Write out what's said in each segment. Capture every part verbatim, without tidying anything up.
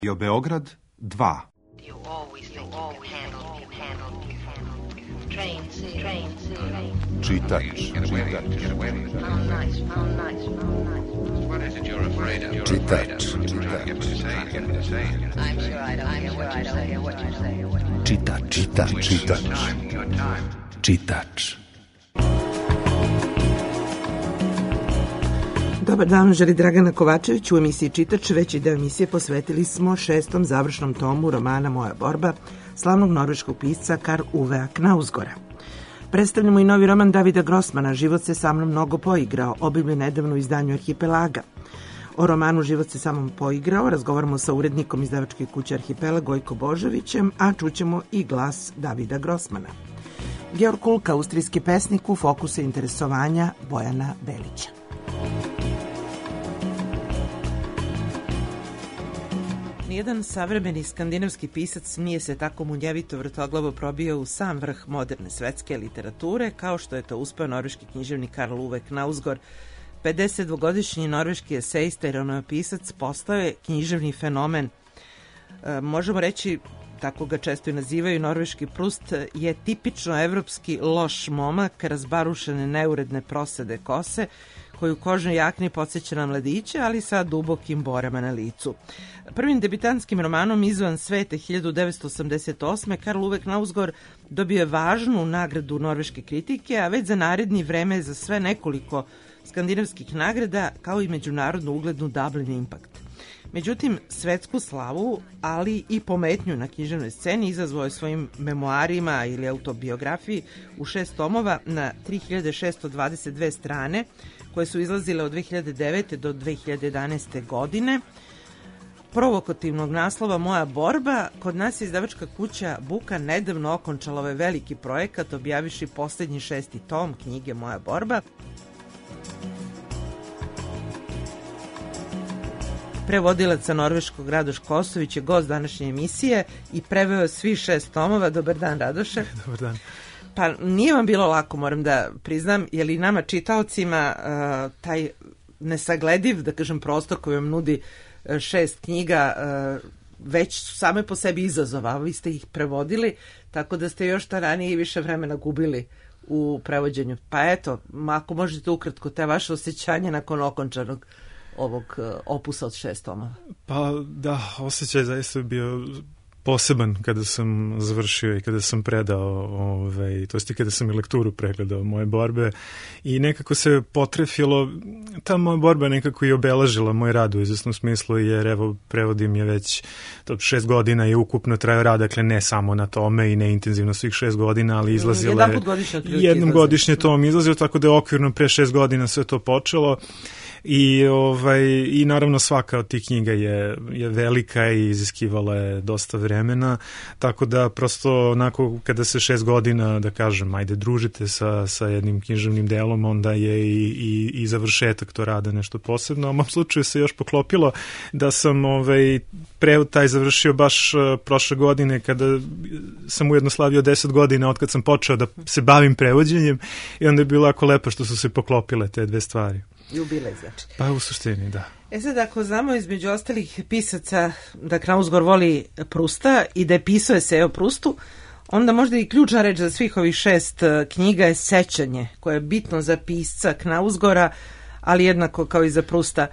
Radio Beograd dva. Čitač, čitač, čitač, čitač, čitač, čitač, čitač. Dobar dan, želi Dragana Kovačević. U emisiji Čitač veći deo emisije posvetili smo šestom završnom tomu romana Moja borba slavnog norveškog pisca Karl Uvea Knausgårda. Predstavljamo i novi roman Davida Grossmana Život se sa mnom mnogo poigrao, objavljen nedavno u izdanju Arhipelaga. O romanu Život se sa mnom poigrao razgovaramo sa urednikom izdavačke kuće Arhipelag Gojko Božovićem, a čućemo i glas Davida Grossmana. Georg Kulka, austrijski pesnik, u fokusu interesovanja Bojana Belića. Nijedan savremeni skandinavski pisac nije se tako munjevito vrtoglavo probio u sam vrh moderne svetske literature kao što je to uspeo norveški književnik Karl Ove Knausgård. pedesetdvogodišnji norveški esejista i romanopisac postao je književni fenomen. E, možemo reći, tako ga često i nazivaju, norveški Prust je tipično evropski loš momak razbarušene neuredne prosede kose, koji u kožnoj jakni podsjeća na mladiće, ali sa dubokim borama na licu. Prvim debitantskim romanom Izvan svete hiljadu devetsto osamdeset osme. Karl Ove Knausgård dobio je važnu nagradu norveške kritike, a već za naredni vreme za sve nekoliko skandinavskih nagrada, kao i međunarodnu uglednu Dublin Impact. Međutim, svetsku slavu, ali i pometnju na književnoj sceni izazvao je svojim memoarima ili autobiografiji u šest tomova na tri hiljade šesto dvadeset dve strane, koje su izlazile od dve hiljade devete do dve hiljade jedanaeste godine. Provokativnog naslova Moja borba, kod nas je izdavačka kuća Buka nedavno okončala ovaj veliki projekat, objavivši poslednji šesti tom knjige Moja borba. Prevodilac sa norveškog Radoš Kosović je gost današnje emisije i preveo svi šest tomova. Dobar dan, Radoše. Dobar dan. Pa nije vam bilo lako, moram da priznam, je li nama čitaocima uh, taj nesaglediv, da kažem, prostor koji vam nudi uh, šest knjiga uh, već su same po sebi izazova, vi ste ih prevodili, tako da ste još ta ranije i više vremena gubili u prevođenju. Pa eto, ako možete ukratko te vaše osjećanje nakon okončanog ovog uh, opusa od šest tomova. Pa da, osjećaj zaista je bio poseban kada sam završio i kada sam predao, ovaj, to jest i kada sam i lekturu pregledao Moje borbe i nekako se potrefilo, ta Moja borba nekako i obeležila moj rad u izvesnom smislu, jer evo prevodim je već to šest godina i ukupno trajao rad, dakle ne samo na tome i ne intenzivno svih šest godina, ali izlazila je jednom godišnje tom izlazio, tako da je okvirno pre šest godina sve to počelo. I, ovaj, i naravno svaka od tih knjiga je, je velika i iziskivala je dosta vremena, tako da prosto onako kada se šest godina, da kažem, ajde družite sa, sa jednim književnim delom, onda je i, i, i završetak to rada nešto posebno. U mom slučaju se još poklopilo da sam ovaj, prevod taj završio baš uh, prošle godine, kada sam ujedno slavio deset godina od kad sam počeo da se bavim prevođenjem, i onda je bilo jako lepo što su se poklopile te dve stvari. Jubilej, znači. Pa u suštini, da. E sad, ako znamo između ostalih pisaca da Knausgård voli Prusta i da je pisao esej o Prustu, onda možda i ključna reč za svih ovih šest knjiga je sećanje, koje je bitno za pisca Knausgårda, ali jednako kao i za Prusta.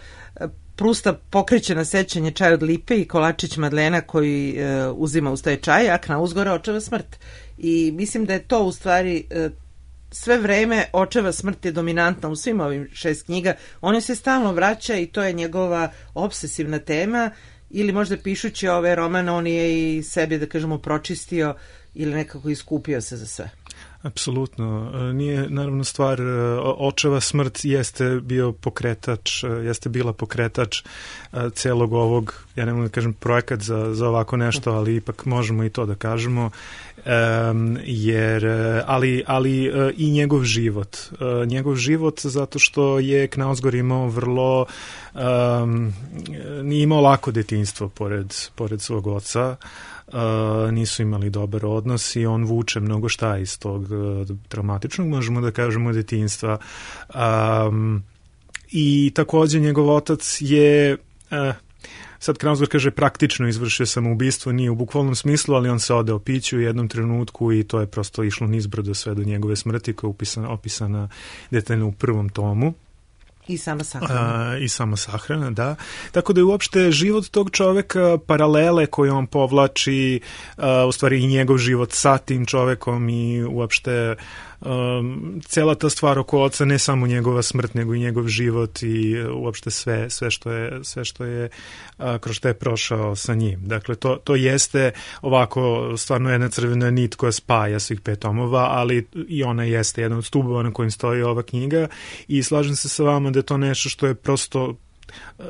Prusta pokreće na sećanje Čaj od lipe i kolačić Madlena koji e, uzima uz taj čaj, a Knausgårda očeva smrt. I mislim da je to u stvari e, sve vreme očeva smrt je dominantna u svim ovim šest knjiga. On se stalno vraća i to je njegova obsesivna tema, ili možda pišući ove romane on je i sebi, da kažemo, pročistio ili nekako iskupio se za sve. Apsolutno. Nije, naravno, stvar, očeva smrt jeste bio pokretač, jeste bila pokretač celog ovog, ja ne mogu da kažem projekat za, za ovako nešto, ali ipak možemo i to da kažemo, um, jer, ali, ali i njegov život. Njegov život zato što je Knausgård imao vrlo, um, nije imao lako detinjstvo pored, pored svog oca, Uh, nisu imali dobar odnos i on vuče mnogo šta iz tog uh, traumatičnog, možemo da kažemo, detinjstva. Um, I takođe njegov otac je uh, sad Knausgård kaže praktično izvršio samoubistvo, nije u bukvalnom smislu, ali on se odeo piću u jednom trenutku i to je prosto išlo nizbrdo sve do njegove smrti koja je upisana, opisana detaljno u prvom tomu. I sama sahrana. A, I sama sahrana, da. Tako da je uopšte život tog čoveka, paralele koje on povlači, a, u stvari i njegov život sa tim čovekom i uopšte um, cela ta stvar oko oca, ne samo njegova smrt, nego i njegov život i uopšte sve, sve što je, sve što je a, kroz što je prošao sa njim. Dakle, to, to jeste ovako stvarno jedna crvena nit koja spaja svih pet tomova, ali i ona jeste jedan od stubova na kojim stoji ova knjiga i slažem se sa vama da je to nešto što je prosto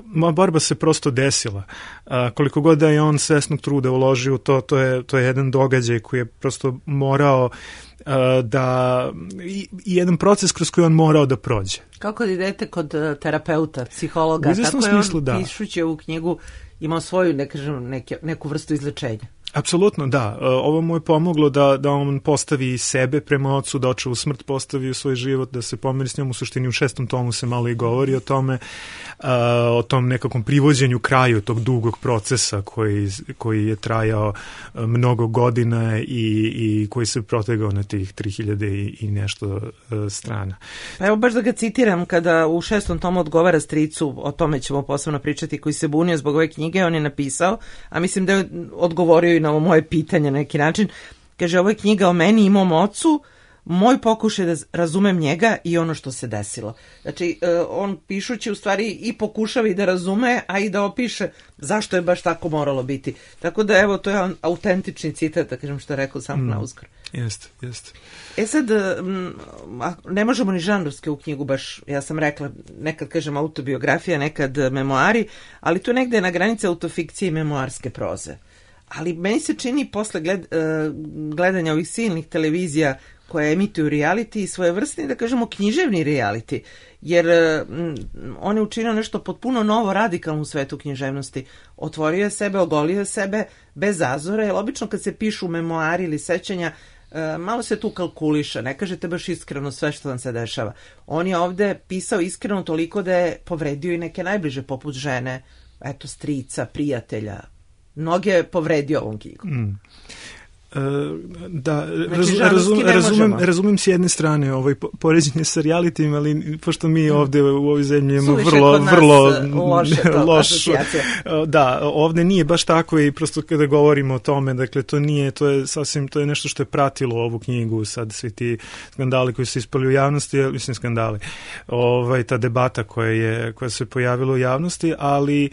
moja borba se prosto desila. A, koliko god da je on svesnog truda uložio u to, to je, to je jedan događaj koji je prosto morao a, da i, i jedan proces kroz koji on morao da prođe. Kako da idete kod terapeuta, psihologa, u izvesnom tako je smislu, on da. Pišući ovu knjigu imao svoju, ne kažem, neke, neku vrstu izlečenja. Apsolutno, da. Ovo mu je pomoglo da, da on postavi sebe prema ocu, da očevu smrt postavi u svoj život, da se pomeri s njom. U suštini u šestom tomu se malo i govori o tome, a, o tom nekakvom privođenju kraju tog dugog procesa koji, koji je trajao mnogo godina i, i koji se protegao na tih tri hiljade i, i nešto a, strana. Pa evo baš da ga citiram, kada u šestom tomu odgovara stricu, o tome ćemo posebno pričati, koji se bunio zbog ove knjige, on je napisao, a mislim da je odgovorio i na ovo moje pitanje na neki način. Kaže, ovo je knjiga o meni i mom ocu, moj pokušaj da razumem njega i ono što se desilo. Znači, on pišući u stvari i pokušava i da razume, a i da opiše zašto je baš tako moralo biti. Tako da, evo, to je autentični citat, da kažem što je rekao sam Knausgård. Jeste, jeste. E sad, ne možemo ni žanrovske u knjigu baš, ja sam rekla, nekad kažem autobiografija, nekad memoari, ali to negde je na granici autofikcije i memoarske proze. Ali meni se čini posle gled, gledanja ovih silnih televizija koje emituju reality i svojevrsni, da kažemo, književni reality, jer m, on je učinio nešto potpuno novo, radikalno u svetu književnosti. Otvorio je sebe, ogolio je sebe bez zazora, jer obično kad se pišu memoari ili sećanja, e, malo se tu kalkuliša, ne kažete baš iskreno sve što vam se dešava. On je ovde pisao iskreno toliko da je povredio i neke najbliže, poput žene, eto, strica, prijatelja. Mnoge je povredio ovom knjigom. Mm. Uh, da, znači, raz, razum, razumem, razumem s jedne strane ovaj poređenje sa realitim, ali pošto mi ovde u ovoj zemlji imamo vrlo, vrlo loše loš, da, ovde nije baš tako i prosto kada govorimo o tome, dakle to nije, to je sasvim, to je nešto što je pratilo ovu knjigu, sad svi ti skandali koji su ispali u javnosti, mislim skandali, ovaj, ta debata koja je, koja se pojavila u javnosti, ali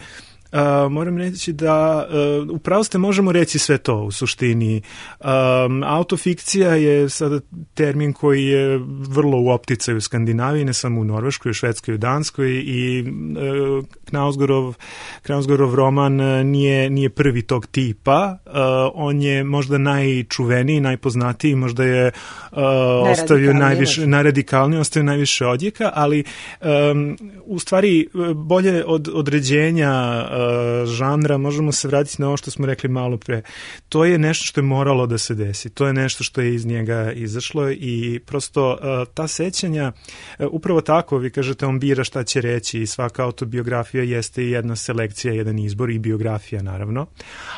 Uh, moram reći da uh, upravo ste možemo reći sve to u suštini. Um, autofikcija je sada termin koji je vrlo u opticaju u Skandinaviji, ne samo u Norveškoj, u Švedskoj, u Danskoj i uh, Knausgårdov, Knausgårdov roman nije, nije prvi tog tipa. Uh, on je možda najčuveniji, najpoznatiji, možda je uh, ostavio najviše, najradikalniji, ostavio najviše odjeka, ali um, u stvari bolje od određenja žanra, možemo se vratiti na ovo što smo rekli malo pre. To je nešto što je moralo da se desi. To je nešto što je iz njega izašlo i prosto ta sećanja, upravo tako, vi kažete, on bira šta će reći i svaka autobiografija jeste i jedna selekcija, jedan izbor i biografija, naravno.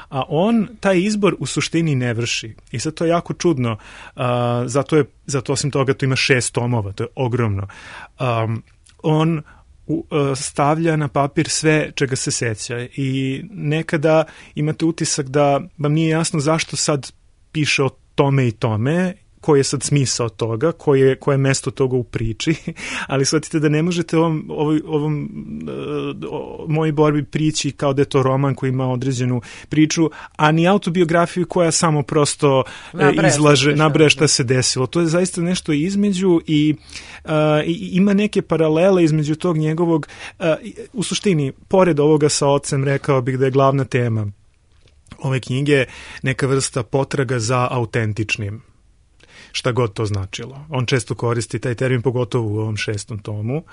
A on taj izbor u suštini ne vrši. I sad to je jako čudno. Zato je, zato osim toga to ima šest tomova, to je ogromno. Um, on stavlja na papir sve čega se seća i nekada imate utisak da vam nije jasno zašto sad piše o tome i tome, koji je sad smisao toga, koje, koje je mesto toga u priči, ali shvatite da ne možete ovom, ovom, ovom o, mojoj borbi prići kao da je to roman koji ima određenu priču, a ni autobiografiju koja samo prosto nabraja izlaže, nabraja šta se desilo. To je zaista nešto između i, uh, i ima neke paralele između tog njegovog, uh, u suštini, pored ovoga sa ocem, rekao bih da je glavna tema ove knjige neka vrsta potraga za autentičnim, šta god to značilo. On često koristi taj termin, pogotovo u ovom šestom tomu.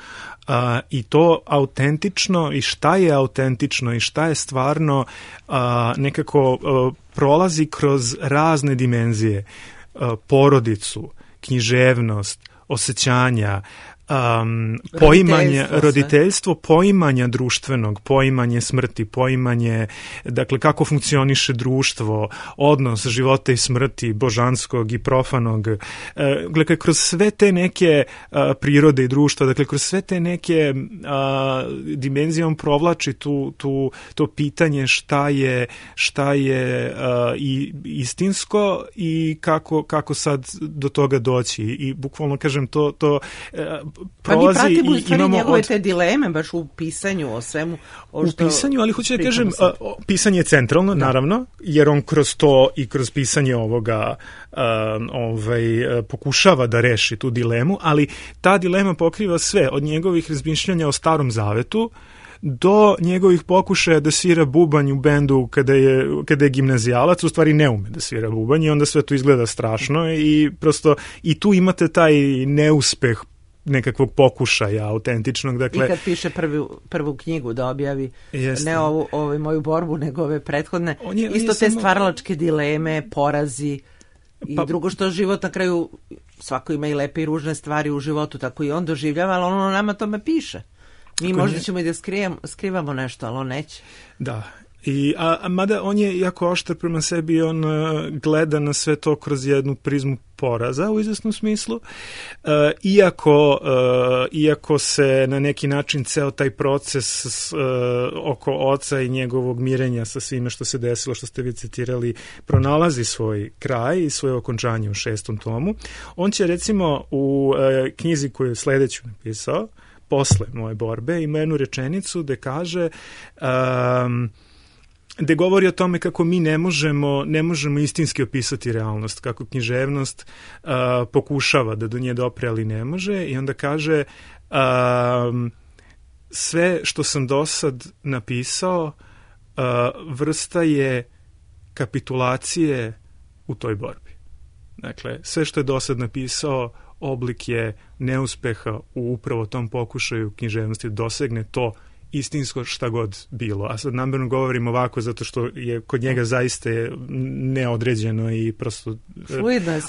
A, i to autentično i šta je autentično i šta je stvarno a, nekako a, prolazi kroz razne dimenzije. A, porodicu, književnost, osjećanja, Um, poimanje, Roditeljstvo, roditeljstvo, poimanja društvenog, poimanje smrti, poimanje, dakle, kako funkcioniše društvo, odnos života i smrti, božanskog i profanog. E, dakle, kroz sve te neke a, prirode i društva, dakle, kroz sve te neke a, dimenzije on provlači tu, tu, to pitanje šta je, šta je a, i istinsko i kako, kako sad do toga doći. I bukvalno, kažem, to, to a, prolazi. Pa mi pratimo u stvari njegove od... te dileme baš u pisanju o svemu. O što u pisanju, ali hoću da kažem, a, pisanje je centralno, da. Naravno, jer on kroz to i kroz pisanje ovoga a, ovaj, pokušava da reši tu dilemu, ali ta dilema pokriva sve, od njegovih razmišljanja o Starom Zavetu do njegovih pokušaja da svira bubanj u bendu kada je, kada je gimnazijalac, u stvari ne ume da svira bubanj i onda sve to izgleda strašno i prosto i tu imate taj neuspeh nekakvog pokušaja autentičnog. Dakle, i kad piše prvu, prvu knjigu da objavi, jeste. Ne ovu, ovu moju borbu, nego ove prethodne, on je, on isto je te samo... stvaralačke dileme, porazi i pa... drugo što život na kraju, svako ima i lepe i ružne stvari u životu, tako i on doživljava, ali ono nama tome piše. Mi Ako možda nije... ćemo i da skrijem, skrivamo nešto, ali on neće. Da. I, a, a mada on je jako oštar prema sebi, on uh, gleda na sve to kroz jednu prizmu poraza u izvesnom smislu, uh, iako, uh, iako se na neki način ceo taj proces uh, oko oca i njegovog mirenja sa svime što se desilo, što ste vi citirali, pronalazi svoj kraj i svoje okončanje u šestom tomu. On će recimo u uh, knjizi koju je sledeću napisao, posle moje borbe, ima jednu rečenicu gde kaže um, gde govori o tome kako mi ne možemo, ne možemo istinski opisati realnost, kako književnost uh, pokušava da do nje dopre, ali ne može, i onda kaže um, sve što sam do sad napisao uh, vrsta je kapitulacije u toj borbi. Dakle, sve što je do sad napisao oblik je neuspeha u upravo tom pokušaju književnosti da dosegne to istinsko šta god bilo. A sad namjerno govorim ovako zato što je kod njega zaista neodređeno i prosto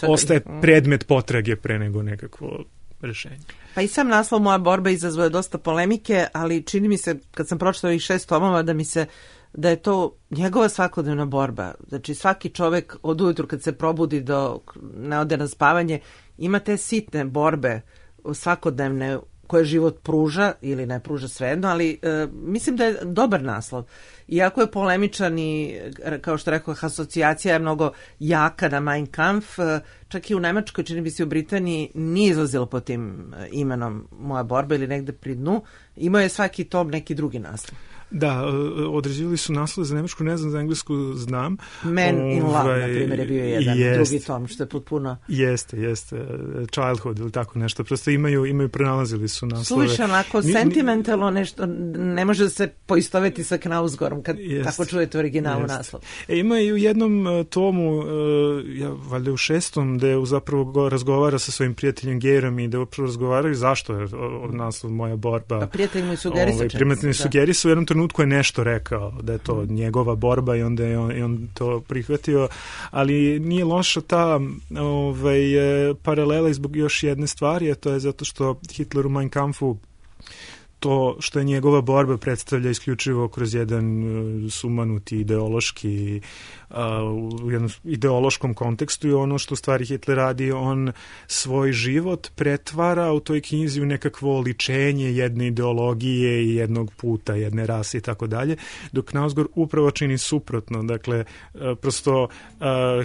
ostaje predmet potrage pre nego nekakvo rešenje. Pa i sam naslov Moja borba izazvao dosta polemike, ali čini mi se, kad sam pročitala ovih šest tomova, da mi se da je to njegova svakodnevna borba. Znači svaki čovek od ujutru kad se probudi do ne ode na spavanje ima te sitne borbe svakodnevne koje život pruža ili ne pruža svejedno, ali e, mislim da je dobar naslov. Iako je polemičan i, kao što rekao, asocijacija je mnogo jaka na Mein Kampf, e, čak i u Nemačkoj, čini mi se u Britaniji, nije izlazilo pod tim imenom Moja borba ili negde pri dnu. Imao je svaki tom neki drugi naslov. Da, određivali su naslove za nemačku, ne znam, za englesku znam. Man in Love, na primjer, je bio jedan jest, drugi tom, što je potpuno... Jeste, jeste. Childhood ili tako nešto. Prosto imaju, imaju pronalazili su naslove. Slušaj, onako, ni, sentimentalno nešto, ne može da se poistoveti sa Knausgorom kad jest, tako čujete originalu jest. Naslov. E, ima i u jednom tomu, ja, valjda u šestom, gde zapravo razgovara sa svojim prijateljem Gerom i da upravo razgovaraju zašto je naslov Moja borba. Pa prijatelj mu sugerisu. Ovaj, prijatelj mu sugerisu u jednom trenutku je nešto rekao da je to njegova borba i onda je on, i on to prihvatio, ali nije loša ta ovaj, paralela zbog još jedne stvari, a to je zato što Hitler u Mein Kampfu to što je njegova borba predstavlja isključivo kroz jedan uh, sumanuti ideološki uh, u jednom ideološkom kontekstu i ono što u stvari Hitler radi, on svoj život pretvara u toj knjizi u nekakvo oličenje jedne ideologije i jednog puta, jedne rase i tako dalje, dok Knausgård upravo čini suprotno. Dakle, uh, prosto uh,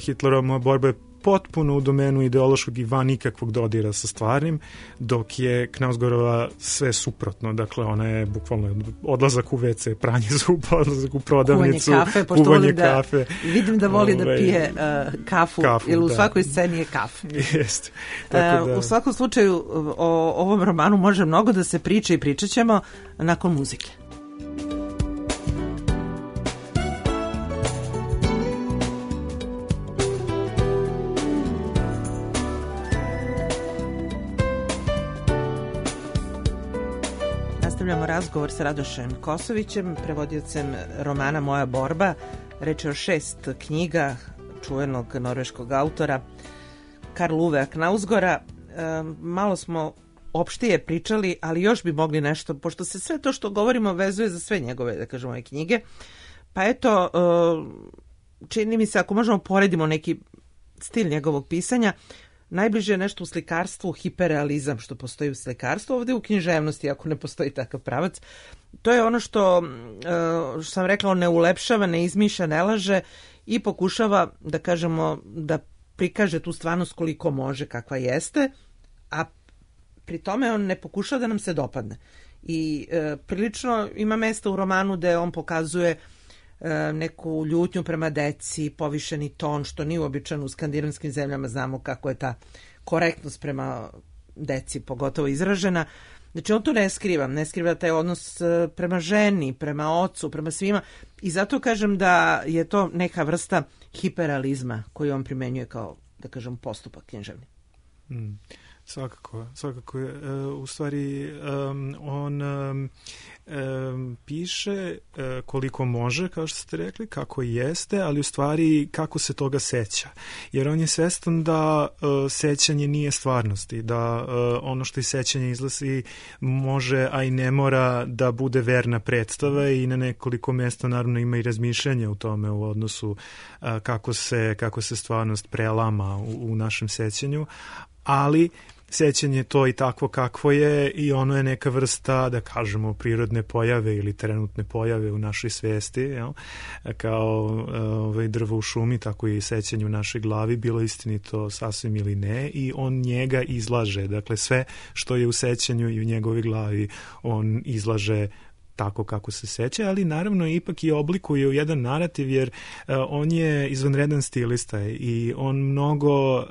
Hitlerova borba je potpuno u domenu ideološkog i van nikakvog dodira sa stvarnim, dok je Knausgårdova sve suprotno. Dakle, ona je bukvalno odlazak u ve ce, pranje zuba, odlazak u prodavnicu, kuvanje kafe, pošto volim da, kafe. Vidim da voli da pije uh, kafu, kafu, ili u da. svakoj sceni je kafe. Jeste. Tako da. Uh, u svakom slučaju, o ovom romanu može mnogo da se priča i pričat ćemo nakon muzike. Nastavljamo razgovor sa Radošem Kosovićem, prevodiocem romana Moja borba. Reč je o šest knjiga čuvenog norveškog autora Karl Ove Knausgårda. E, malo smo opštije pričali, ali još bi mogli nešto, pošto se sve to što govorimo vezuje za sve njegove, da kažemo, ove knjige. Pa eto, čini mi se, ako možemo poredimo neki stil njegovog pisanja, najbliže je nešto u slikarstvu, hiperrealizam što postoji u slikarstvu, ovdje u književnosti, ako ne postoji takav pravac. To je ono što, što sam rekla, on ne ulepšava, ne izmišlja, ne laže i pokušava, da kažemo, da prikaže tu stvarnost koliko može, kakva jeste, a pri tome on ne pokušava da nam se dopadne. I e, prilično ima mesta u romanu gde on pokazuje e, neku ljutnju prema deci, povišeni ton, što nije uobičajeno u skandinavskim zemljama, znamo kako je ta korektnost prema deci pogotovo izražena. Znači on to ne skriva, ne skriva taj odnos prema ženi, prema ocu, prema svima i zato kažem da je to neka vrsta hiperrealizma koju on primenjuje kao, da kažem, postupak književni. Mm. Svakako, svakako. E, u stvari, um, on um, um, piše uh, koliko može, kao što ste rekli, kako jeste, ali u stvari kako se toga seća. Jer on je svestan da uh, sećanje nije stvarnosti, da uh, ono što iz sećanja izlazi može, a i ne mora da bude verna predstava i na nekoliko mesta naravno ima i razmišljanje u tome u odnosu uh, kako se, kako se stvarnost prelama u, u našem sećanju, ali sećanje to i takvo kakvo je i ono je neka vrsta, da kažemo, prirodne pojave ili trenutne pojave u našoj svesti, jel? Kao ovaj, drvo u šumi, tako i sećanje u našoj glavi, bilo istinito sasvim ili ne, i on njega izlaže, dakle sve što je u sećanju i u njegovoj glavi on izlaže tako kako se seća, ali naravno ipak i oblikuje u jedan narativ, jer uh, on je izvanredan stilista i on mnogo, uh,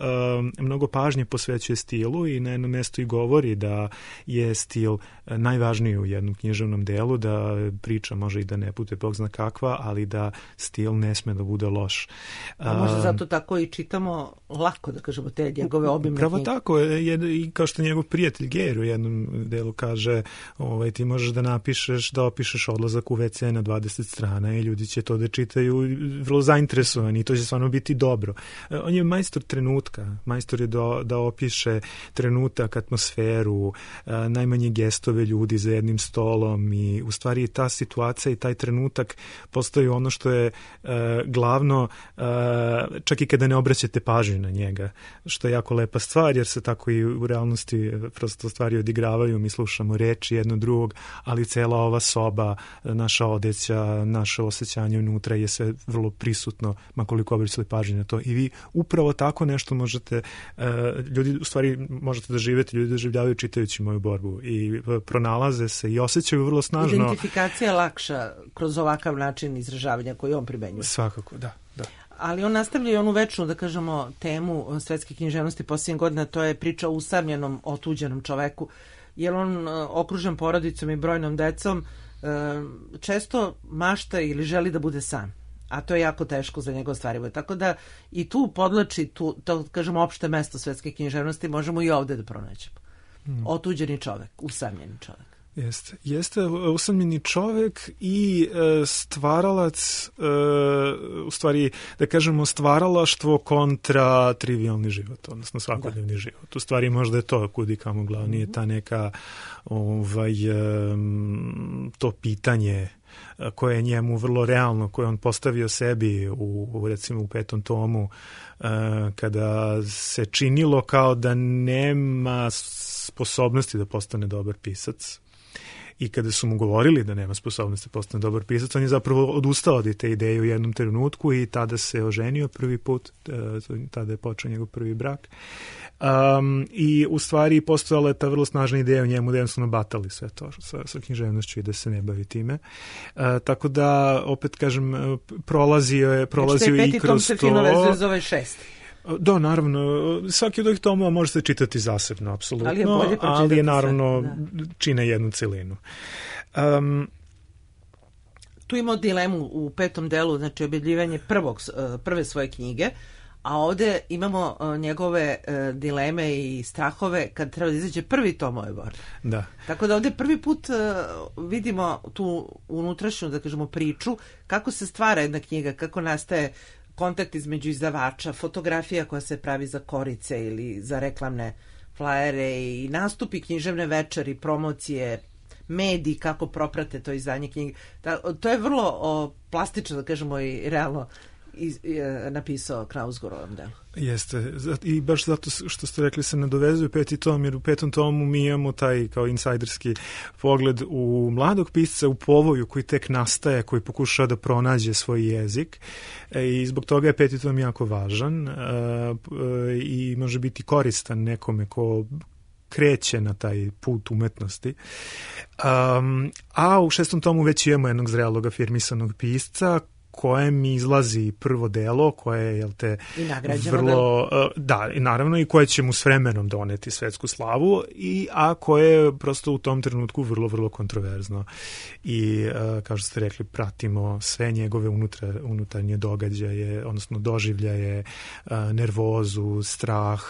mnogo pažnje posvećuje stilu i na jednom mjestu i govori da je stil uh, najvažniji u jednom književnom delu, da priča može i da ne bude bog zna kakva, ali da stil ne sme da bude loš. A možda zato tako i čitamo lako, da kažemo, te njegove obimne knjige. Pravo tako, je, i kao što njegov prijatelj Geir u jednom delu kaže, ovaj, ti možeš da napišeš da opišeš odlazak u ve ce na dvadeset strana i ljudi će to da čitaju vrlo zainteresovani i to će stvarno biti dobro. On je majstor trenutka, majstor je da, da opiše trenutak, atmosferu, najmanje gestove ljudi za jednim stolom i u stvari ta situacija i taj trenutak postoji ono što je uh, glavno, uh, čak i kada ne obraćate pažnju na njega, što je jako lepa stvar, jer se tako i u realnosti prosto stvari odigravaju, mi slušamo reči jedno drugog, ali cela ova soba, naša odeća, naše osjećanje unutra je sve vrlo prisutno, makoliko obraćali pažnju na to. I vi upravo tako nešto možete, uh, ljudi u stvari možete da živete, ljudi doživljavaju čitajući moju borbu i pronalaze se i osjećaju vrlo snažno. Identifikacija je lakša kroz ovakav način izražavanja koji on primenjuje. Svakako, da, da. Ali on nastavlja i onu večnu, da kažemo, temu svetske književnosti posljednjih godina, to je priča o usamljenom, otuđenom čoveku, jer on okružen porodicom i brojnom decom često mašta ili želi da bude sam, a to je jako teško za njega ostvarivo. Tako da i tu podlači tu, to kažemo, opšte mesto svetske književnosti možemo i ovde da pronađemo. Hmm. Otuđeni čovek, usamljeni čovek. Jeste, jeste usamljeni čovek i e, stvaralac, e, u stvari, da kažemo, stvaralaštvo kontra trivialni život, odnosno svakodnevni da. život. U stvari možda je to kudi kamo glavnije, mm-hmm. ta neka ovaj, e, to pitanje koje je njemu vrlo realno, koje on postavio sebi u, u recimo u petom tomu, e, kada se činilo kao da nema sposobnosti da postane dobar pisac. I kada su mu govorili da nema sposobnosti da postane dobar pisac, on je zapravo odustao od te ideje u jednom trenutku i tada se oženio prvi put, tada je počeo njegov prvi brak. Um, I u stvari postojala je ta vrlo snažna ideja u njemu da jednostavno batali sve to sa, sa književnošću i da se ne bavi time. Uh, tako da, opet kažem, prolazio je, prolazio je i kroz to. Znači, taj peti tom se fino vezuje za ovaj šesti. Da, naravno, svaki od ovih tomova može se čitati zasebno, apsolutno, ali je, bolje ali je naravno sve, čine jednu celinu. Um, tu imamo dilemu u petom delu, znači objavljivanje prvog, prve svoje knjige, a ovde imamo njegove dileme i strahove kad treba da izađe prvi tom ove borbe. Da. Tako da ovde prvi put vidimo tu unutrašnju, da kažemo, priču, kako se stvara jedna knjiga, kako nastaje kontakt između izdavača, fotografija koja se pravi za korice ili za reklamne flajere i nastupi, književne večeri, promocije, mediji, kako proprate to izdanje knjige. To je vrlo o, plastično, da kažemo, i realno iz, je, napisao Knausgård u ovom delu. Jeste, i baš zato što ste rekli se nadovezuje peti tom, jer u petom tomu mi imamo taj kao insajderski pogled u mladog pisca, u povoju koji tek nastaje, koji pokušava da pronađe svoj jezik i zbog toga je peti tom jako važan i može biti koristan nekome ko kreće na taj put umetnosti. Um, a u šestom tomu već imamo jednog zrelog afirmisanog pisca kojem izlazi prvo delo koje je, jel te, vrlo, uh, da, i naravno i koje će mu s vremenom doneti svetsku slavu, i, a koje je prosto u tom trenutku vrlo, vrlo kontroverzno. I, uh, kao što ste rekli, pratimo sve njegove unutra, unutarnje događaje, odnosno doživljaje, uh, nervozu, strah,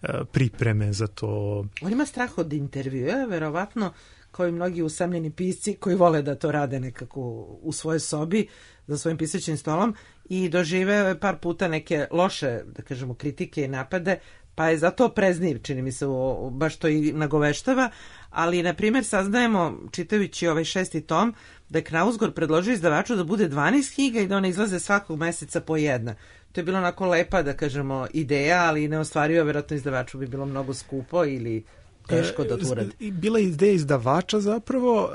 uh, pripreme za to. On ima strah od intervjua, verovatno, kao i mnogi usamljeni pisci koji vole da to rade nekako u svojoj sobi za svojim pisaćim stolom, i doživeo je par puta neke loše, da kažemo, kritike i napade, pa je zato prezniv, čini mi se, o, baš to i nagoveštava. Ali, na primjer, saznajemo, čitajući ovaj šesti tom, da je Knausgård predložio izdavaču da bude dvanaest knjiga i da one izlaze svakog meseca po jedna. To je bilo onako lepa, da kažemo, ideja, ali neostvarivo, vjerojatno izdavaču bi bilo mnogo skupo ili teško da to uradi. Bila je ideja izdavača zapravo,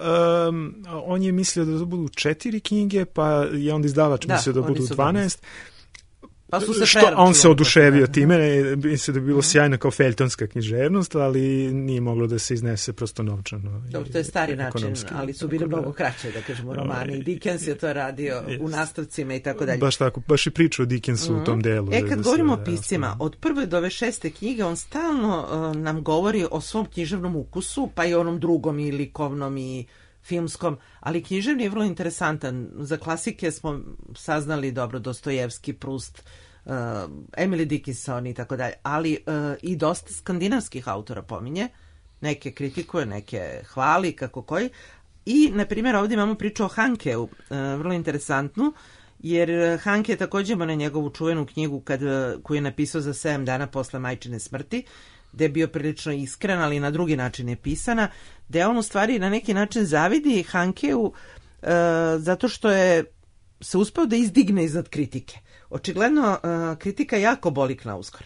um, on je mislio da budu četiri knjige, pa je onda izdavač da, mislio da budu dvanaest. Pa su se što, on se oduševio time, mislim da bi bilo sjajno kao feljtonska književnost, ali nije moglo da se iznese prosto novčano. Dobro, to je stari način, ali su bili mnogo kraće, da kažemo, romani. Dickens je to radio u nastavcima i tako dalje. Baš tako, baš i priča o Dickensu mm-hmm. u tom delu. E, kad govorimo o piscima, od prve do ove šeste knjige, on stalno uh, nam govori o svom književnom ukusu, pa i onom drugom i likovnom i filmskom, ali književni je vrlo interesantan. Za klasike smo saznali dobro Dostojevski, Proust, uh, Emily Dickinson i tako dalje, ali uh, i dosta skandinavskih autora pominje, neke kritikuje, neke hvali, kako koji. I, na primjer, ovdje imamo priču o Hankeu, uh, vrlo interesantnu, jer Hanke je također ima na njegovu čuvenu knjigu kad, koju je napisao za sedam dana posle majčine smrti, gde je bio prilično iskren, ali na drugi način je pisana, gde on u stvari na neki način zavidi Hankeu e, zato što je se uspeo da izdigne iznad kritike. Očigledno e, kritika jako boli Knausgård.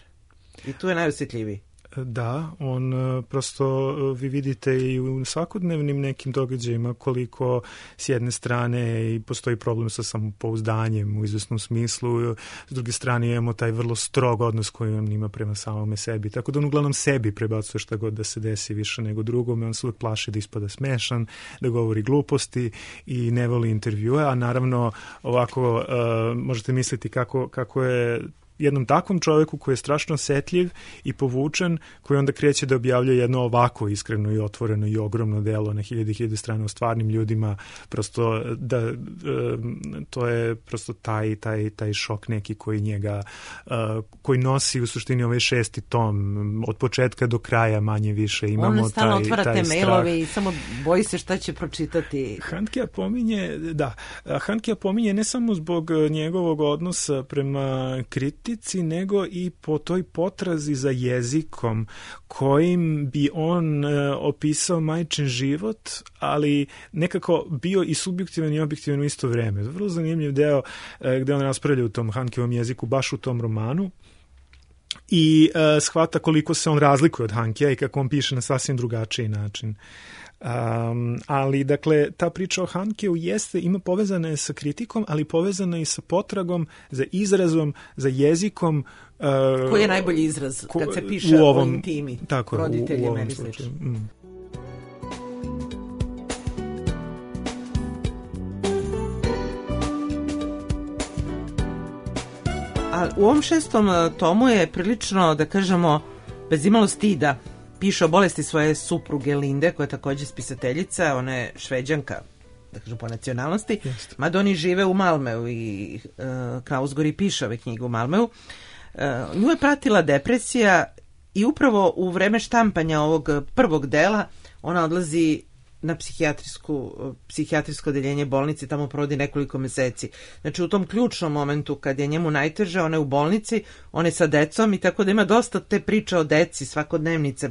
I tu je najosjetljiviji. Da, on prosto, vi vidite i u svakodnevnim nekim događajima koliko s jedne strane i postoji problem sa samopouzdanjem u izvesnom smislu, s druge strane imamo taj vrlo strog odnos koji on ima prema samome sebi, tako da on uglavnom sebi prebacuje šta god da se desi više nego drugome, on se uvijek plaši da ispada smešan, da govori gluposti i ne voli intervjue, a naravno ovako uh, možete misliti kako, kako je jednom takvom čovjeku koji je strašno osetljiv i povučen, koji onda kreće da objavlja jedno ovako iskreno i otvoreno i ogromno delo na hiljade i hiljade strana o stvarnim ljudima, prosto da to je prosto taj, taj, taj šok neki koji njega, koji nosi u suštini ovaj šesti tom, od početka do kraja manje više imamo on stalno taj, otvara taj te strah. mailove i samo boji se šta će pročitati. Handkea pominje, da, Handkea pominje ne samo zbog njegovog odnosa prema kritici, nego i po toj potrazi za jezikom kojim bi on e, opisao majčin život, ali nekako bio i subjektivan i objektivan u isto vreme. Vrlo zanimljiv deo e, gde on raspravlja u tom Hankeovom jeziku, baš u tom romanu, i e, shvata koliko se on razlikuje od Hankea i kako on piše na sasvim drugačiji način. Um, ali dakle ta priča o Hankeu jeste, ima povezana je sa kritikom, ali povezana i sa potragom za izrazom, za jezikom uh, koji je najbolji izraz ko, kad se piše u ovom, o intimi tako, roditeljima u, u ili slično. Mm. A u ovom šestom tomu je prilično, da kažemo, bez imalo stida piše o bolesti svoje supruge Linde, koja je također spisateljica, ona je Šveđanka, da kažem po nacionalnosti, Jeste. mada oni žive u Malmeu i uh, Knausgård i piše ove knjige u Malmeu. Uh, nju je pratila depresija i upravo u vreme štampanja ovog prvog dela ona odlazi na psihijatrijsku, psihijatrijsko odeljenje bolnice, tamo provodi nekoliko meseci. Znači u tom ključnom momentu kad je njemu najteže, on je u bolnici, on je sa decom i tako da ima dosta te priče o deci, svakodnevnice.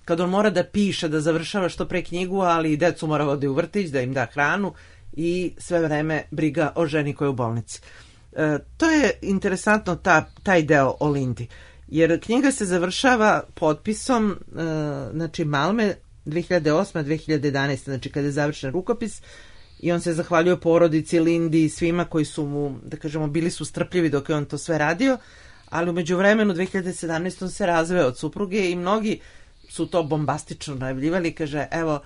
Kad on mora da piše, da završava što pre knjigu, ali i decu mora vodi u vrtić, da im da hranu i sve vreme briga o ženi koja je u bolnici. E, to je interesantno ta, taj deo o Lindi. Jer knjiga se završava potpisom, e, znači Malme, dve hiljade osme do dve hiljade jedanaeste. znači kada je završen rukopis i on se zahvaljuje porodici, Lindi i svima koji su mu, da kažemo, bili su strpljivi dok je on to sve radio, ali u međuvremenu dve hiljade sedamnaeste. on se razveo od supruge i mnogi su to bombastično najavljivali, kaže, evo,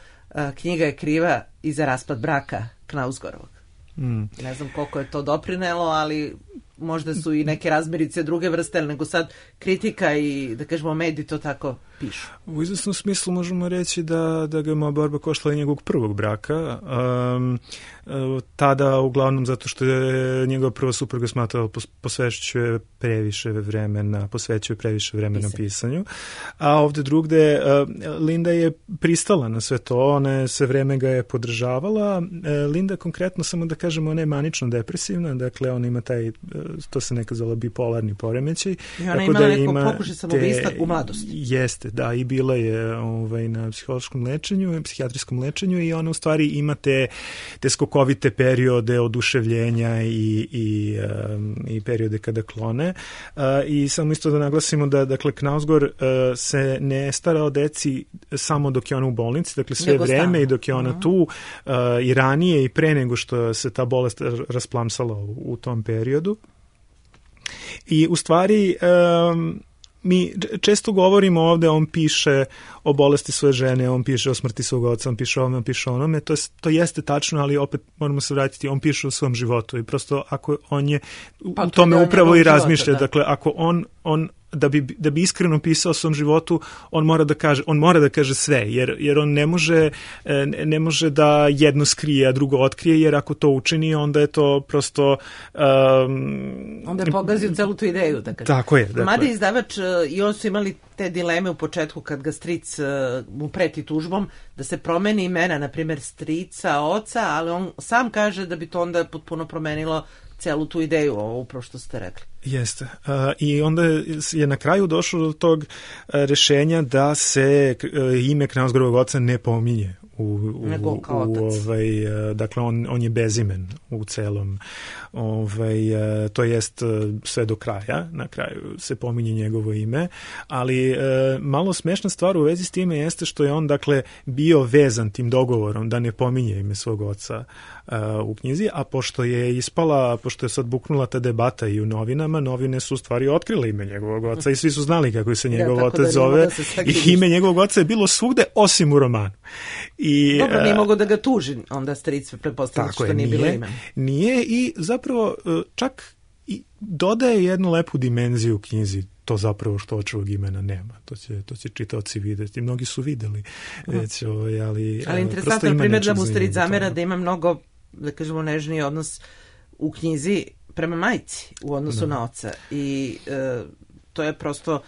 knjiga je kriva i za raspad braka Knausgorovog. Mm. Ne znam koliko je to doprinelo, ali možda su i neke razmirice druge vrste, nego sad kritika i, da kažemo, mediji to tako pišu. U izvesnom smislu možemo reći da, da ga je moja borba koštala i njegovog prvog braka. Um, tada, uglavnom, zato što je njegova prva supruga smatrala posvećuje previše vremena, posvećuje previše vremena Pisanje. pisanju. A ovde drugde, Linda je pristala na sve to, ona je sve vreme ga je podržavala. Linda konkretno, samo da kažemo, ona je manično depresivna, dakle ona ima taj, to se nekad zvala bipolarni poremećaj. I ona imala da neko pokušaj samoubistva u mladosti. Jeste, da, i bila je ovaj, na psihološkom lečenju, psihijatrijskom lečenju i ona u stvari ima te, te skokovite periode oduševljenja i, i, um, i periode kada klone. Uh, I samo isto da naglasimo da, dakle, Knausgård uh, se ne stara o deci samo dok je ona u bolnici, dakle sve Nego vreme stavno. I dok je ona uh-huh. tu uh, i ranije i pre nego što se ta bolest rasplamsala u, u tom periodu. I u stvari um, mi često govorimo ovde, on piše o bolesti svoje žene, on piše o smrti svog oca, on piše o ovome, on piše o onome, to, je, to jeste tačno, ali opet moramo se vratiti, on piše o svom životu i prosto ako on je pa, u tome upravo i razmišlja, života, da. Dakle, ako on, on da bi, da bi iskreno pisao o svom životu, on mora da kaže, on mora da kaže sve, jer, jer on ne može, ne može da jedno skrije, a drugo otkrije, jer ako to učini, onda je to prosto... Um, onda je pogazio celu tu ideju, da kaže. Tako je. Dakle. Mada izdavač i on su imali te dileme u početku kad ga stric mu preti tužbom, da se promeni imena, na primjer strica, oca, ali on sam kaže da bi to onda potpuno promenilo celu tu ideju, ovo upravo što ste rekli. Jeste. Uh, I onda je na kraju došlo do tog uh, rešenja da se uh, ime Knausgårdovog oca ne pominje. U, u, Nego kao otac. U, ovaj, uh, dakle, on, on je bezimen u celom. Ovaj, uh, to jest uh, sve do kraja. Na kraju se pominje njegovo ime. Ali uh, malo smešna stvar u vezi s time jeste što je on, dakle, bio vezan tim dogovorom da ne pominje ime svog oca uh, u knjizi, a pošto je ispala, pošto je sad buknula ta debata i u novinama, novine su u stvari otkrile ime njegovog oca i svi su znali kako se njegov ja, otac da zove da i ime njegovog oca je bilo svugde osim u romanu. I, Dobro, nije mogo da ga tuži, onda stric pretpostavlja što je, nije, nije bilo ime. Nije i zapravo čak i dodaje jednu lepu dimenziju u knjizi, to zapravo što očevog imena nema. To će, to će čitaoci videti. Mnogi su videli. Već, ovaj, ali, ali interesantno je primjer da mu stric zamera da ima mnogo, da kažemo, nežniji odnos u knjizi prema majci u odnosu da. na oca. I e, to je prosto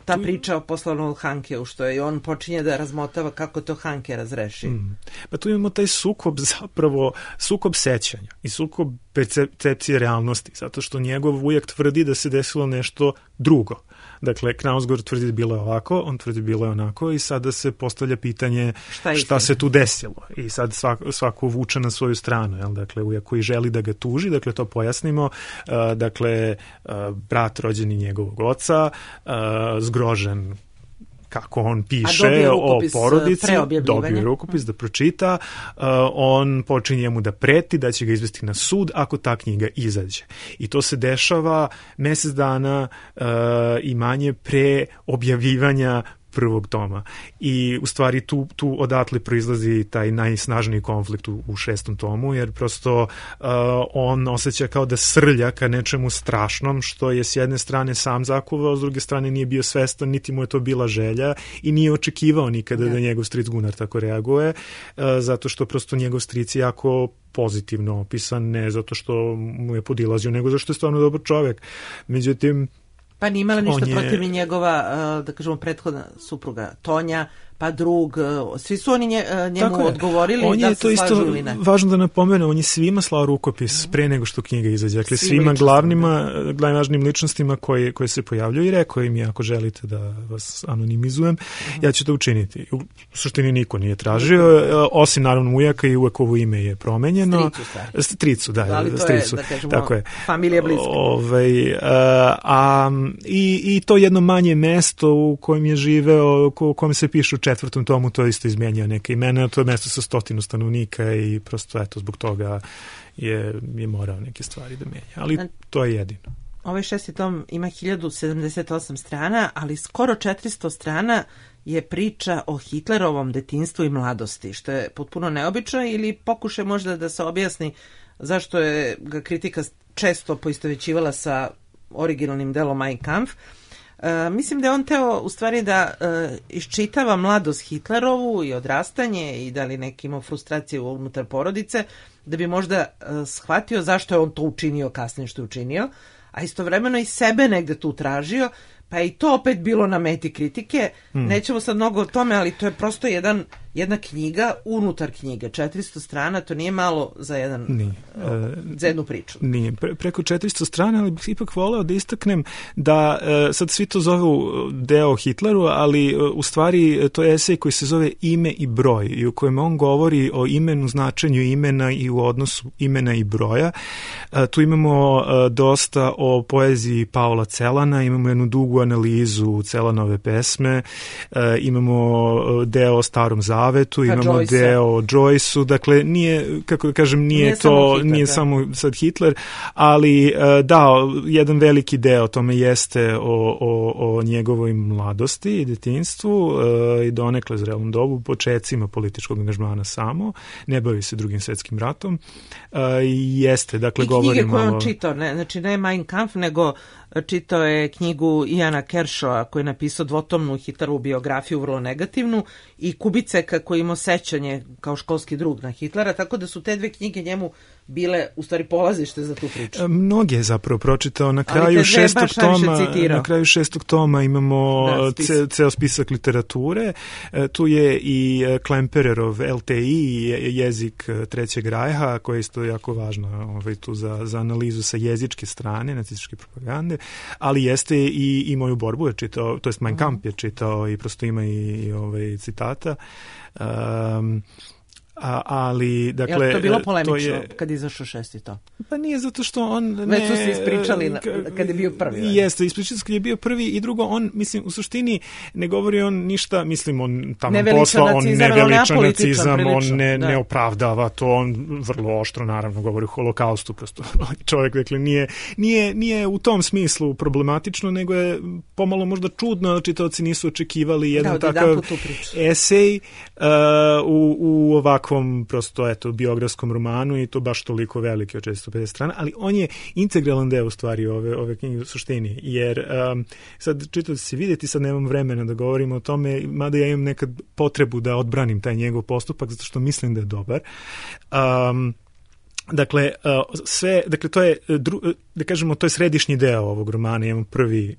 ta tu... priča o poslovnom Hankeu, što je i on počinje da razmotava kako to Hanke razreši. Mm. Pa tu imamo taj sukob zapravo, sukob sećanja i sukob percepcije realnosti, zato što njegov ujak tvrdi da se desilo nešto drugo. Dakle, Knausgård tvrdi da bilo je ovako, on tvrdi da bilo je onako i sada se postavlja pitanje šta, šta se tu desilo. I sad svako, svako vuče na svoju stranu. Jel? Dakle, ujak koji želi da ga tuži, dakle, to pojasnimo. Uh, dakle, uh, brat rođeni njegovog oca, uh, zgrožen kako on piše o porodici, dobio rukopis da pročita, uh, on počinje mu da preti da će ga izvesti na sud ako ta knjiga izađe. I to se dešava mesec dana uh, i manje pre objavljivanja prvog toma. I u stvari tu, tu odatle proizlazi taj najsnažniji konflikt u, u šestom tomu, jer prosto uh, on osjeća kao da srlja ka nečemu strašnom, što je s jedne strane sam zakuvao, s druge strane nije bio svestan, niti mu je to bila želja i nije očekivao nikada da, da njegov stric Gunnar tako reaguje, uh, zato što prosto njegov stric je jako pozitivno opisan, ne zato što mu je podilazio, nego zato što je stvarno dobar čovjek. Međutim, pa nije imala ništa je... protiv njegova, da kažemo, prethodna supruga Tonja, pa drug, svi su oni nje, njemu Tako je. odgovorili on da je se to isto slažu ili ne. Važno da napomene, on je svima slao rukopis mm. pre nego što knjiga izađe. Dakle, Svim svima ličnostima, glavnima, najvažnijim ličnostima koje, koje se pojavljuju i rekao im je, ako želite da vas anonimizujem, mm. ja ću to učiniti. U suštini niko nije tražio, osim naravno ujaka i uvek ovo ime je promenjeno. Stricu, Stricu, da, ali to stricu. je, da kažemo, tako je. familija bliska. Ovaj, a, a, i, I to jedno manje mesto u kojem je živeo, u kojem se piše u četvrtom tomu, to je isto izmijenio neke imena, to je mesto sa stotinu stanovnika i prosto eto zbog toga je, je morao neke stvari da menja. Ali to je jedino. Ovaj šesti tom ima hiljadu sedamdeset osam strana, ali skoro četiristo strana je priča o Hitlerovom detinjstvu i mladosti, što je potpuno neobično ili pokušaj možda da se objasni zašto je ga kritika često poistovećivala sa originalnim delom Mein Kampf. E, mislim da je on teo u stvari da e, iščitava mladost Hitlerovu i odrastanje i da li neki imao frustracije unutar porodice, da bi možda e, shvatio zašto je on to učinio kasnije što je učinio, a istovremeno i sebe negde tu tražio, pa je i to opet bilo na meti kritike. Mm. Nećemo sad mnogo o tome, ali to je prosto jedan, jedna knjiga unutar knjige. četiristo strana, to nije malo za, jedan, nije. za jednu priču. Nije. Pre, preko četiristo strana, ali bih ipak voleo da istaknem da e, sad svi to zovu deo Hitleru, ali e, u stvari to je esej koji se zove Ime i broj i u kojem on govori o imenu, značenju imena i u odnosu imena i broja. E, tu imamo e, dosta o poeziji Paula Celana, imamo jednu dugu analizu Celanove pesme, e, imamo deo o Starom Zavetu, imamo Joyce. Deo o Joyce-u, dakle nije, kako da kažem, nije, nije to, samo Hitler, nije da. samo sad Hitler, ali e, da, jedan veliki deo tome jeste o, o, o njegovoj mladosti i detinjstvu e, i donekle zrelom dobu, počecima političkog angažmana samo, ne bavi se drugim svetskim ratom, e, jeste, dakle, govorimo... I knjige koje on čitao, ne, znači ne Mein Kampf, nego čitao je knjigu Iana Kershawa koji je napisao dvotomnu Hitlerovu biografiju, vrlo negativnu, i Kubiceka koji imao sećanje kao školski drug na Hitlera, tako da su te dve knjige njemu bile u stvari polazište za tu priču. Mnoge je zapravo pročitao. Na kraju šestog toma, na kraju šestog toma imamo da, spis. ce, ceo spisak literature. Tu je i Klempererov L T I, jezik Trećeg rajha, koja je isto jako važna ovaj, tu za, za analizu sa jezičke strane nacističke propagande, ali jeste i, i Moju borbu je čitao, to jest Mein Kampf je čitao i prosto ima i, i ovaj, citata. Um, A, ali, dakle... Je to bilo polemično to je, kad izašao šesti tom? Pa nije zato što on... Ne, Već su se ispričali na, kad je bio prvi. Ali. Jeste, ispričali kad je bio prvi i drugo, on, mislim, u suštini ne govori on ništa, mislim, on tamo posla, on ne veliča nacizam, prilično, on ne, ne opravdava to, on vrlo oštro, naravno, govori o holokaustu, prosto čovjek, dakle, nije, nije, nije u tom smislu problematično, nego je pomalo možda čudno, čitaoci nisu očekivali jedan da, takav esej uh, u, u ovakvom prosto, eto, biografskom romanu i to baš toliko veliki od četiristo pedeset strana, ali on je integralan deo u stvari ove, ove knjige u suštini, jer um, sad čitao se vidjeti, sad nemam vremena da govorimo o tome, mada ja imam nekad potrebu da odbranim taj njegov postupak, zato što mislim da je dobar. Um, Dakle, sve, dakle, to je, da kažemo, to je središnji deo ovog romana, imamo prvi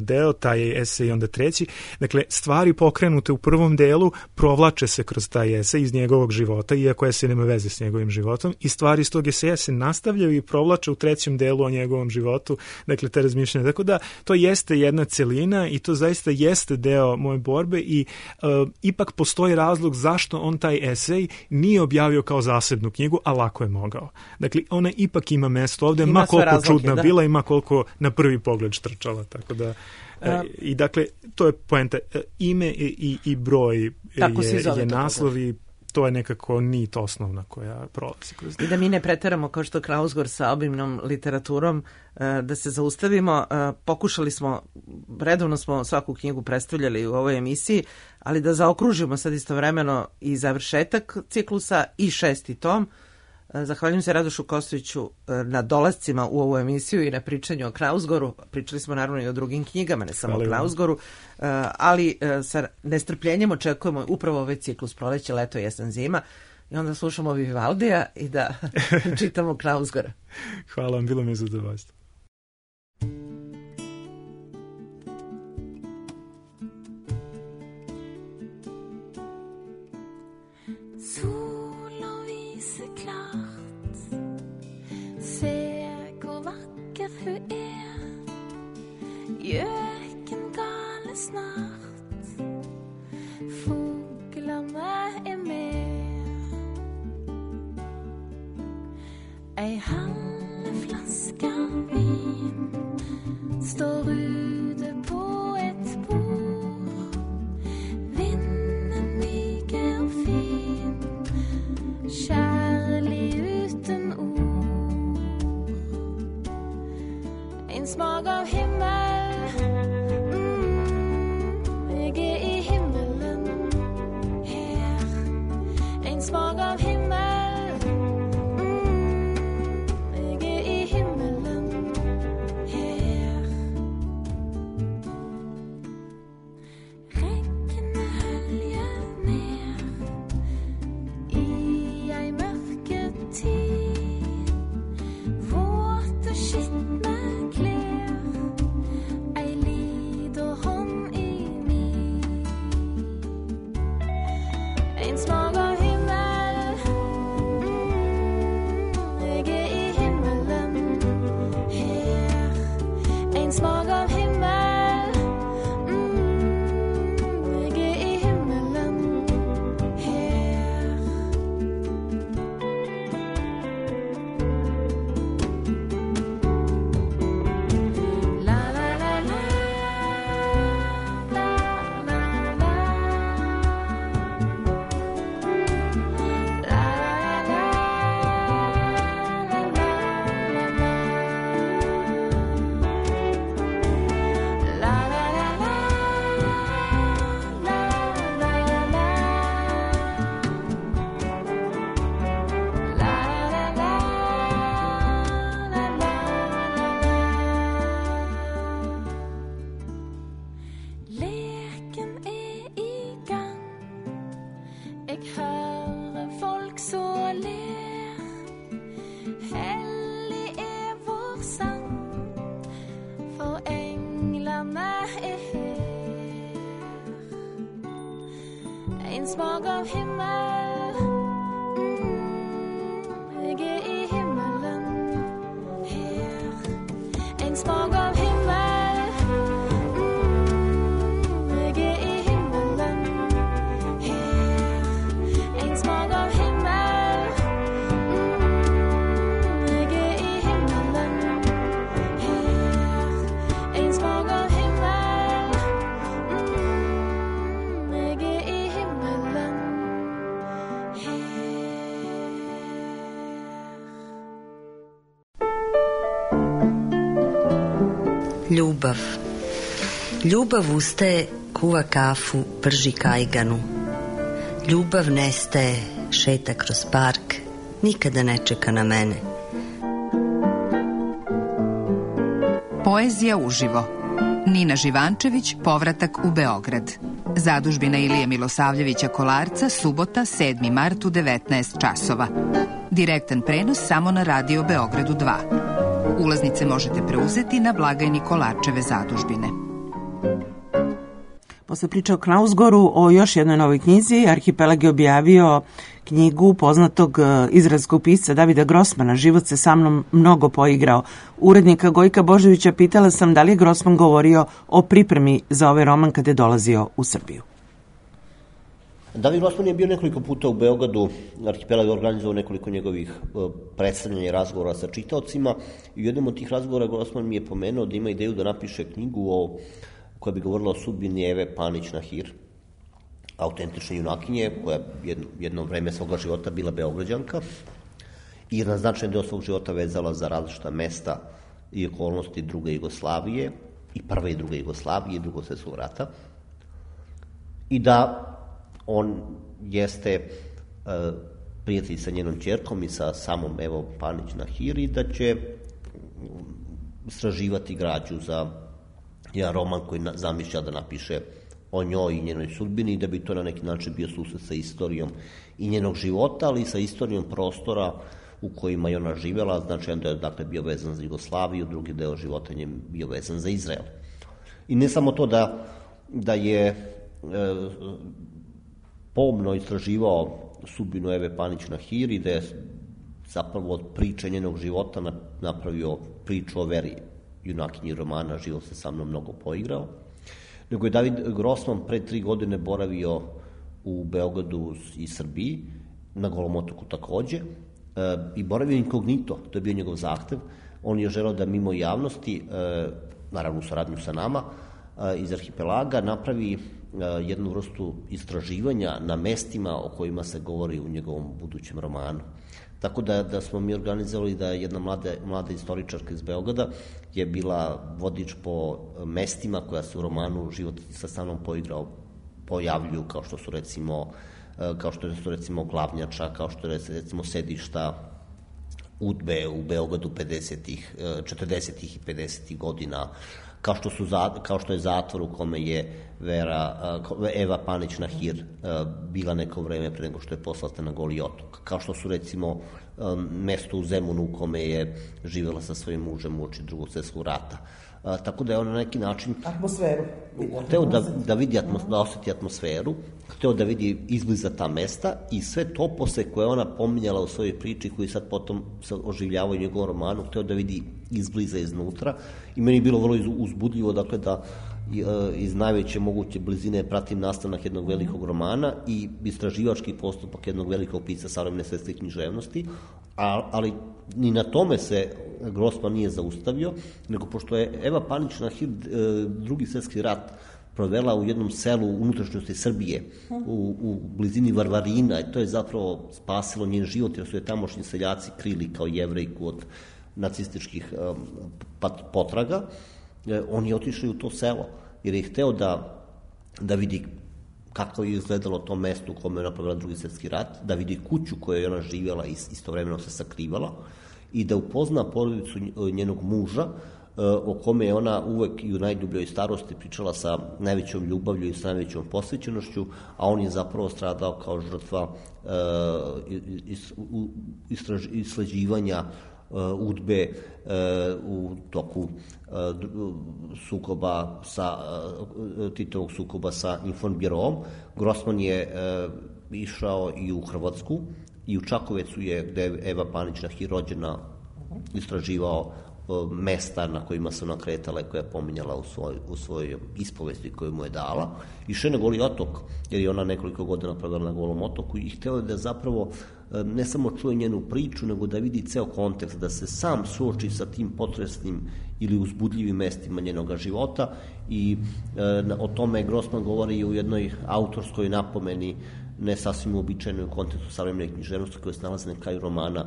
deo, taj esej i onda treći. Dakle, stvari pokrenute u prvom delu provlače se kroz taj esej iz njegovog života, iako esej nema veze s njegovim životom, i stvari iz tog eseja se nastavljaju i provlače u trećem delu o njegovom životu, dakle, te razmišljanje. Tako da, to jeste jedna celina i to zaista jeste deo moje borbe i uh, ipak postoji razlog zašto on taj esej nije objavio kao zasebnu knjigu, a lako je mogao. Dakle, ona ipak ima mesto ovde, ima ma koliko razloke, čudna da. bila, ima koliko na prvi pogled štrčala, tako da e, i dakle, to je poenta, e, ime i, i, i broj je, je naslov i to je nekako nit osnovna koja prolazi kroz. I da mi ne preteramo kao što Knausgård sa obimnom literaturom, da se zaustavimo, pokušali smo, redovno smo svaku knjigu predstavljali u ovoj emisiji, ali da zaokružimo sad istovremeno i završetak ciklusa i šesti tom. Zahvaljujem se Radošu Kostoviću na dolascima u ovu emisiju i na pričanju o Knausgårdu. Pričali smo naravno i o drugim knjigama, ne samo Hvala o Knausgårdu, ali sa nestrpljenjem očekujemo upravo ovaj ciklus proleće, leto, jesen, zima i onda slušamo Vivaldija i da čitamo Knausgårda. Hvala vam, bilo mi je zadovoljstvo. Gökengale snart, fåglarna är med. Ei halv flaska vin står ute på ett bord. Vinden myger och fin, kärlig uten ord. En smak av himmel, mm, jag är i himmelen här. En smak av himmel, mm, jag är i himmelen här. Regnet höljer ner i ei mørketid. Våte skitne klær, ei liten hånd i min. En smak av himmel, mm, jeg er i himmelen her. En smak av himmel, mm, jeg er i himmelen her. La la la la, la la la. La la la, la la la. La la la la, la la la. La la la, la la la. Leken er i gang. Jeg hører folk så ler. Hellig er vår sang, for englene er her. En smak av himmel, mm, jeg er i himmelen her. En smak av himmel, mm, jeg er i himmelen her. En smak av himmel, mm, jeg er i himmelen her. En smak av himmel, mm, jeg er i himmelen her. Ljubav. Ljubav ustaje, kuva kafu, prži kajganu. Ljubav nestaje, šeta kroz park, nikada ne čeka na mene. Poezija uživo. Nina Živančević, Povratak u Beograd. Zadužbina Ilije Milosavljevića Kolarca, subota, sedmi mart u devetnaest časova. Direktan prenos samo na Radio Beogradu dva. Ulaznice možete preuzeti na blagajni Kolarčeve zadužbine. Posle priče o Knausgoru, o još jednoj novoj knjizi, Arhipelag je objavio knjigu poznatog izraelskog pisca Davida Grossmana, Život se sa mnom mnogo poigrao. Urednika Gojka Božovića pitala sam da li je Grossman govorio o pripremi za ovaj roman kada je dolazio u Srbiju. David Grossman je bio nekoliko puta u Beogradu, Arhipelag je organizovao nekoliko njegovih predstavljanja i razgovora sa čitaocima i u jednom od tih razgovora Grossman mi je pomenuo da ima ideju da napiše knjigu o, koja bi govorila o sudbini Eve Panić-Nahir, autentične junakinje, koja jedno, jedno vreme svoga života bila Beograđanka i na značajan deo svog života vezala za različita mesta i okolnosti druge Jugoslavije, i prve i druge Jugoslavije i drugog svjetskog rata, i da on jeste uh, prijatelj sa njenom ćerkom i sa samom Evo Panić-Nahir i da će istraživati građu za jedan roman koji na, zamišlja da napiše o njoj i njenoj sudbini i da bi to na neki način bio susret sa istorijom i njenog života, ali i sa istorijom prostora u kojima je ona živjela, znači da je dakle, bio vezan za Jugoslaviju, drugi deo života je bio vezan za Izrael. I ne samo to da, da je e, pomno istraživao sudbinu Eve Panić-Nahir i da je zapravo od priče njenog života napravio priču o veri junakinji romana Život se sa mnom mnogo poigrao, nego je David Grossman pre tri godine boravio u Beogradu i Srbiji, na Golom otoku takođe, e, i boravio inkognito, to je bio njegov zahtev. On je želeo da mimo javnosti, e, naravno u saradnju sa nama, e, iz arhipelaga napravi e, jednu vrstu istraživanja na mestima o kojima se govori u njegovom budućem romanu. Tako da, da smo mi organizovali da jedna mlada, mlada istoričarka iz Beograda je bila vodič po mestima koja se u romanu Život sa sa mnom poigrao pojavljuju, kao što su recimo kao što su recimo Glavnjača, kao što je recimo sedišta udbe u Beogradu pedesetih, četrdesetih i pedesetih godina, kao što, su, kao što je zatvor u kome je Vera, Eva Panić-Nahir bila neko vreme pre nego što je poslata na Goli otok, kao što su recimo mesto u Zemunu u kome je živela sa svojim mužem uoči drugog svjetskog rata. A, tako da je on na neki način atmosferu hteo da, da vidi atmos, da osjeti atmosferu, hteo da vidi izbliza ta mesta i sve topose koje ona pominjala u svojoj priči, koji sad potom se oživljavaju u njegovom romanu, hteo da vidi izbliza iznutra i meni je bilo vrlo uzbudljivo, dakle, da iz najveće moguće blizine pratim nastanak jednog velikog romana i istraživački postupak jednog velikog pisca savremene svetske književnosti, ali ni na tome se Grossman nije zaustavio, nego pošto je Eva Panić-Nahir drugi svetski rat provela u jednom selu u unutrašnjosti Srbije, u, u blizini Varvarina, i to je zapravo spasilo njen život, jer su je tamošnji seljaci krili kao Jevrejku od nacističkih potraga. On je otišao u to selo, jer je hteo da, da vidi kako je izgledalo to mesto u kome je napravila drugi svjetski rat, da vidi kuću koju je ona živjela i istovremeno se sakrivala i da upozna porodicu njenog muža, o kome je ona uvek i u najdubljoj starosti pričala sa najvećom ljubavlju i sa najvećom posvećenošću, a on je zapravo stradao kao žrtva isleđivanja udbe u toku sukoba sa Titovog sukoba sa Informbiroom. Grossman je išao i u Hrvatsku i u Čakovecu je, gde je Eva Panić-Nahir rođena, istraživao mesta na kojima se ona kretala i koja je pominjala u, svoj, u svojoj ispovesti koju mu je dala. Išao je na Goli otok, jer je ona nekoliko godina provela na Golom otoku i hteo je da zapravo ne samo čuje njenu priču, nego da vidi ceo kontekst, da se sam suoči sa tim potresnim ili uzbudljivim mestima njenog života i e, o tome Grossman govori i u jednoj autorskoj napomeni, ne sasvim uobičajenoj u kontekstu savremene književnosti koje se nalaze na kraju romana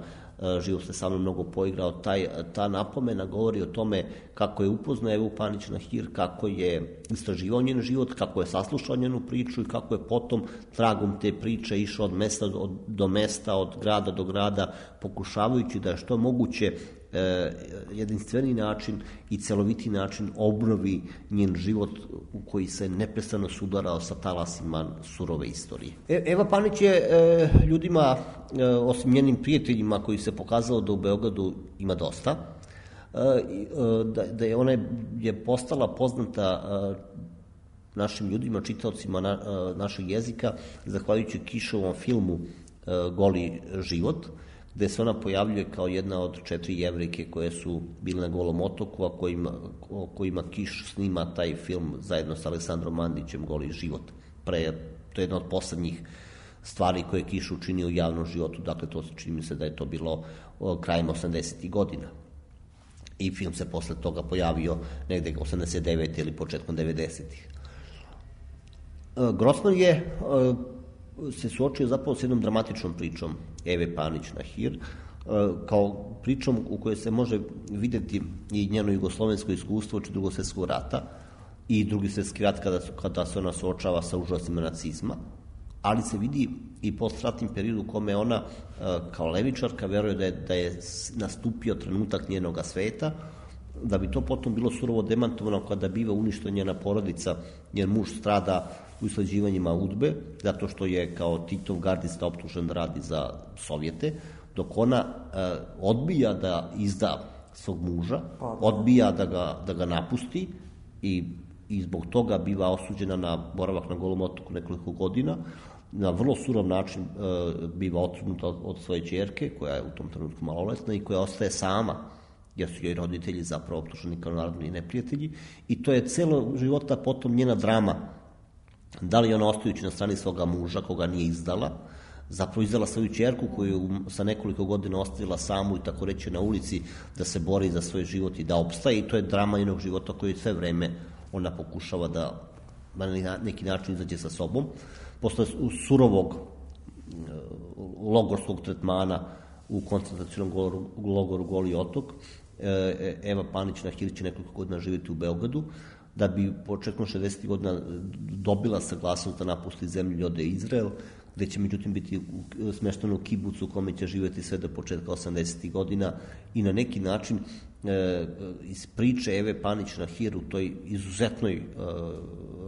Život se sa mnom mnogo poigrao. Taj, ta napomena govori o tome kako je upoznao Evu Panić-Nahir, kako je istraživao njen život, kako je saslušao njenu priču i kako je potom tragom te priče išao od mesta do, do mesta, od grada do grada, pokušavajući da je što moguće e, jedinstveni način i celoviti način obnovi njen život u koji se neprestano sudarao sa talasima surove istorije. E, Eva Panić je e, ljudima, e, osim njenim prijateljima koji se pokazalo da u Beogradu ima dosta, e, da, da je ona je postala poznata e, našim ljudima, čitaocima na, e, našeg jezika, zahvaljujući Kišovom filmu e, Goli život, gde se ona pojavljuje kao jedna od četiri Jevrejke koje su bile na Golom otoku, a kojima, kojima Kiš snima taj film zajedno sa Aleksandrom Mandićem, Goli život. Pre, to je jedna od poslednjih stvari koje je Kiš učinio u javnom životu, dakle to čini mi se da je to bilo krajem osamdesetih godina. I film se posle toga pojavio negde osamdeset devete ili početkom devedesetih. Grossman je se suočio zapravo s jednom dramatičnom pričom Eve Panić-Nahir, kao pričom u kojoj se može videti i njeno jugoslovensko iskustvo od drugog svjetskog rata i drugi svjetski rat kada, kada se ona suočava sa užasima nacizma, ali se vidi i postratnim periodu u kome ona kao levičarka veruje da je, da je nastupio trenutak njenoga sveta, da bi to potom bilo surovo demantovano kada biva uništena njena porodica, njen muž strada u isleđivanjima udbe, zato što je kao Titov gardista optužen da radi za Sovjete, dok ona e, odbija da izda svog muža, odbija da ga, da ga napusti i, i zbog toga biva osuđena na boravak na Golom otoku nekoliko godina, na vrlo surov način e, biva otrgnuta od, od svoje ćerke, koja je u tom trenutku maloletna i koja ostaje sama jer su joj roditelji zapravo optuženi kao narodni neprijatelji, i to je celo života potom njena drama. Da li ona, ostajući na strani svoga muža, koga nije izdala, zapravo izdala svoju ćerku koju sa nekoliko godina ostavila samu i tako reći na ulici da se bori za svoj život i da opstaje, i to je drama njenog života koju sve vreme ona pokušava da na neki način izađe sa sobom. Posle surovog logorskog tretmana u koncentracionom logoru Goli otok, Eva Panić Nahir će nekoliko godina živjeti u Beogradu, da bi početkom šezdesetih godina dobila saglasnost da napusti zemlju i ode Izrael, gde će međutim biti smešteno u kibucu u kome će živjeti sve do početka osamdesetih godina, i na neki način e, iz priče Eve Panić Nahir u toj izuzetnoj e,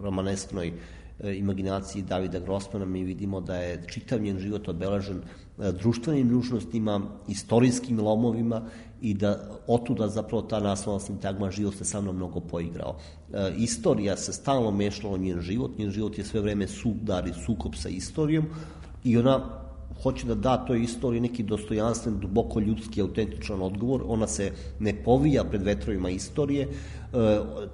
romanesknoj e, imaginaciji Davida Grossmana mi vidimo da je čitav njen život obeležen e, društvenim nužnostima, istorijskim lomovima, i da otuda zapravo ta naslovna sintagma život se sa mnom mnogo poigrao. E, istorija se stalno mešala u njen život, njen život je sve vreme sudar i sukob sa istorijom, i ona hoće da da toj istoriji neki dostojanstven, duboko ljudski, autentičan odgovor. Ona se ne povija pred vetrovima istorije, e,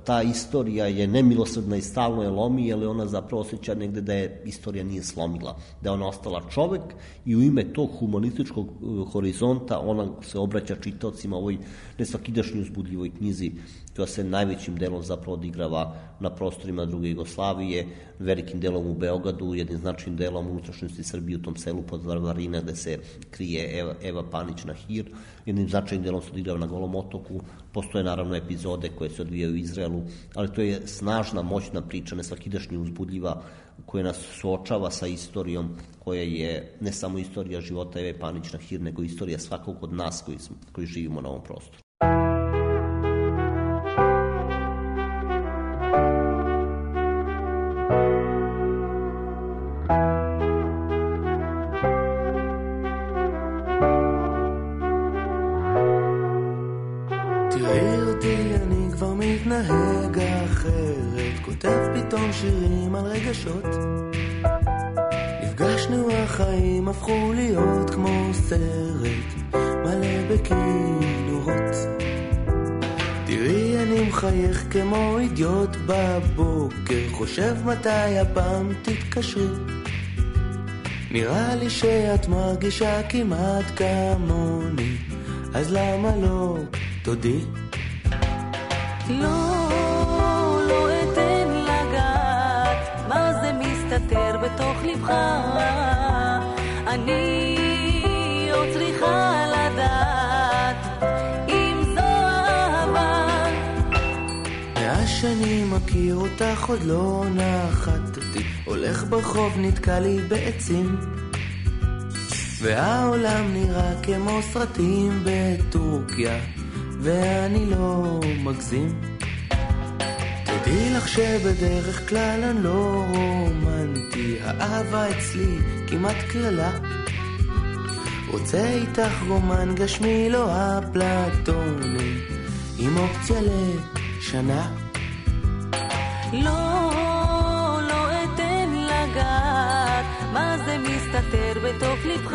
ta istorija je nemilosrdna i stalno je lomi, jer ona zapravo osjeća negde da je istorija nije slomila, da je ona ostala čovek, i u ime tog humanističkog horizonta ona se obraća čitaocima ovoj nesvakidašnjoj uzbudljivoj knjizi, koja se najvećim delom zapravo odigrava na prostorima druge Jugoslavije, velikim delom u Beogradu, jednim značajnim delom unutrašnjosti Srbije u tom selu pod Varvarina gde se krije Eva, Eva Panić Nahir, jednim značajnim delom se odigrava na Golom otoku. Postoje naravno epizode koje se odvijaju u Izraelu, ali to je snažna, moćna priča, nesvakidašnji uzbudljiva, koja nas suočava sa istorijom koja je ne samo istorija života Eve Panić Nahir, nego istorija svakog od nas koji, koji živimo na ovom prostoru. מתנהג אחרת, כותב פתאום שירים על רגשות. נפגשנו, החיים הפכו להיות כמו סרט מלא בכינורות. תראי, אני מחייך כמו אידיוט בבוקר, חושב מתי הפעם תתקשרי. נראה לי שאת מרגישה כמעט כמוני, אז למה לא תודי? לא, לא אתן לגעת, מה זה מסתתר בתוך לבך. אני עוד צריכה לדעת אם זו אהבה. מאז שאני מכיר אותך עוד לא נחתתי, הולך ברחוב נתקע לי בעצים, והעולם נראה כמו סרטים בטורקיה, ואני לא מגזים. תדעי לך שבדרך כלל אני לא רומנטי, האהבה אצלי כמעט כללה. רוצה איתך רומן גשמי לא אפלטוני, עם אופציה לשנה. לא, לא אתן לגעת, מה זה מסתתר בתוך לבך.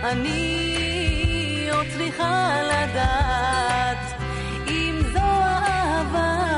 אני עוד צריכה לדעת אם זו אהבה.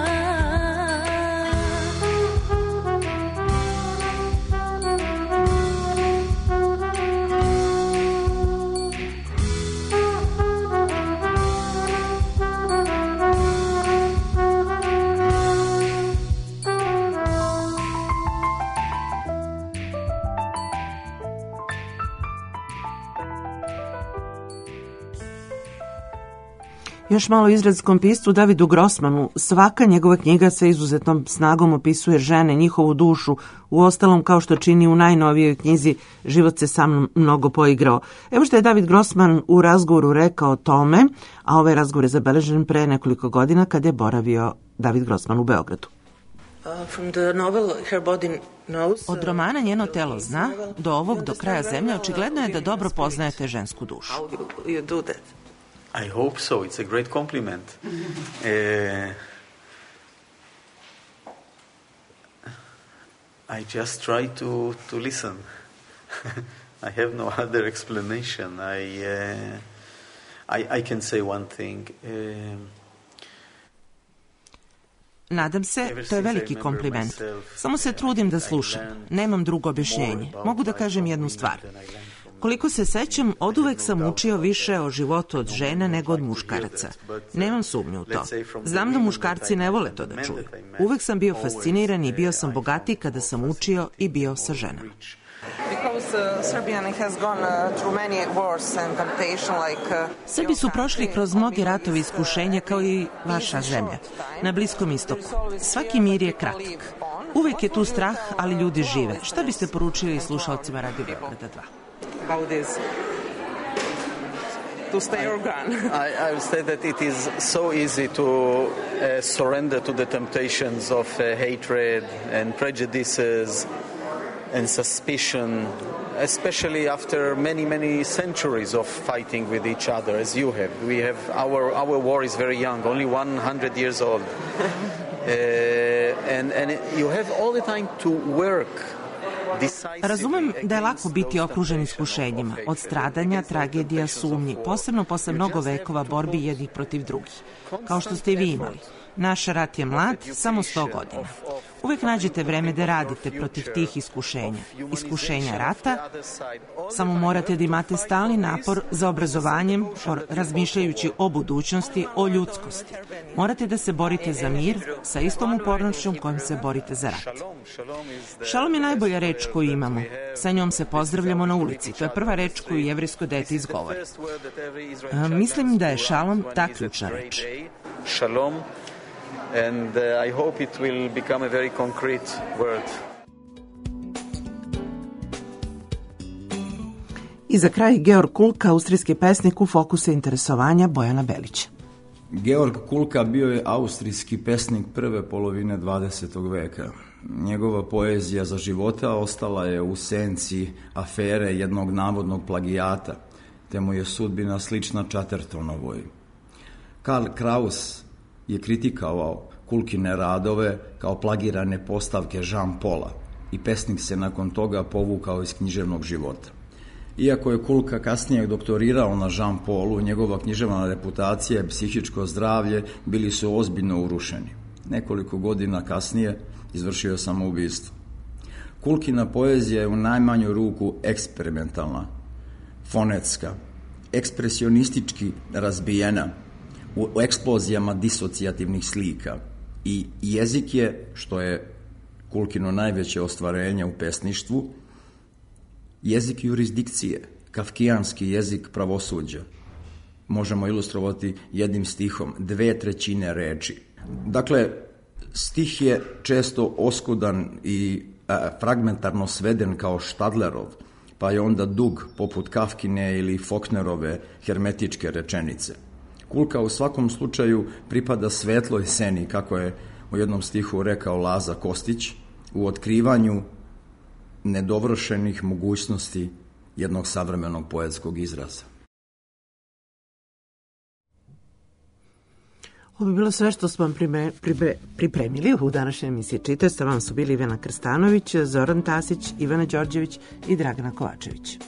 Još malo izraelskom piscu Davidu Grossmanu. Svaka njegova knjiga sa izuzetnom snagom opisuje žene, njihovu dušu, u ostalom kao što čini u najnovijoj knjizi Život se sa mnom mnogo poigrao. Evo što je David Grossman u razgovoru rekao o tome, a ovaj razgovor je zabeležen pre nekoliko godina kad je boravio David Grossman u Beogradu. Od romana Njeno telo zna do ovog do kraja zemlje očigledno je da dobro poznajete žensku dušu. I hope so. It's a great compliment. uh, I just try to, to listen. I have no other explanation. I, uh, I, I can say one thing. Um, Nadam se, to je veliki kompliment. Samo se trudim da slušam. Nemam drugo objašnjenje. Mogu da kažem jednu stvar. Koliko se sećam, oduvek sam učio više o životu od žena nego od muškaraca. Nemam sumnju u to. Znam da muškarci ne vole to da čuju. Uvek sam bio fasciniran i bio sam bogatiji kada sam učio i bio sa ženama. Srbi su prošli kroz mnoge ratove i iskušenja kao i vaša zemlja. Na Bliskom istoku. Svaki mir je kratak. Uvek je tu strah, ali ljudi žive. Šta biste poručili slušalcima Radio Beograda dva? About this? To stay or gone? I, I would say that it is so easy to uh, surrender to the temptations of uh, hatred and prejudices and suspicion, especially after many, many centuries of fighting with each other, as you have. We have our our war is very young, only one hundred years old, uh, and and you have all the time to work. Razumem da je lako biti okružen iskušenjima, od stradanja, tragedija, sumnji, posebno posle mnogo vekova borbi jednih protiv drugih, kao što ste i vi imali. Naš rat je mlad, samo sto godina. Uvek nađete vreme da radite protiv tih iskušenja. Iskušenja rata, samo morate da imate stalni napor za obrazovanjem, razmišljajući o budućnosti, o ljudskosti. Morate da se borite za mir sa istom upornošćom kojom se borite za rat. Šalom je najbolja reč koju imamo. Sa njom se pozdravljamo na ulici. To je prva reč koju jevrejsko dete izgovori. A, mislim da je šalom ta ključna reč. Shalom. And uh, I hope it will become a very concrete word. I za kraj Georg Kulka, austrijski pesnik u fokusu interesovanja Bojana Belića. Georg Kulka bio je austrijski pesnik prve polovine dvadesetog veka. Njegova poezija za života ostala je u senci afere jednog navodnog plagijata, te mu je sudbina slična Chattertonovoj. Karl Kraus je kritikovao Kulkine radove kao plagirane postavke Jean-Paula i pesnik se nakon toga povukao iz književnog života. Iako je Kulka kasnije doktorirao na Jean-Paulu, njegova književna reputacija i psihičko zdravlje bili su ozbiljno urušeni. Nekoliko godina kasnije izvršio samoubistvo. Kulkina poezija je u najmanju ruku eksperimentalna, fonetska, ekspresionistički razbijena, u eksplozijama disocijativnih slika i jezik je, što je Kulkino najveće ostvarenje u pesništvu, jezik jurisdikcije, kafkijanski jezik pravosuđa. Možemo ilustrovati jednim stihom, dve trećine reči. Dakle, stih je često oskudan i a, fragmentarno sveden kao Štadlerov, pa je onda dug poput Kafkine ili Faulknerove hermetičke rečenice. Kulka u svakom slučaju pripada svetloj sceni, kako je u jednom stihu rekao Laza Kostić, u otkrivanju nedovršenih mogućnosti jednog savremenog poetskog izraza. Ovo bi bilo sve što smo vam prime, pribre, pripremili u današnjoj emisiji Čita. Sa vam su bili Ivana Krstanović, Zoran Tasić, Ivana Đorđević i Dragana Kovačević.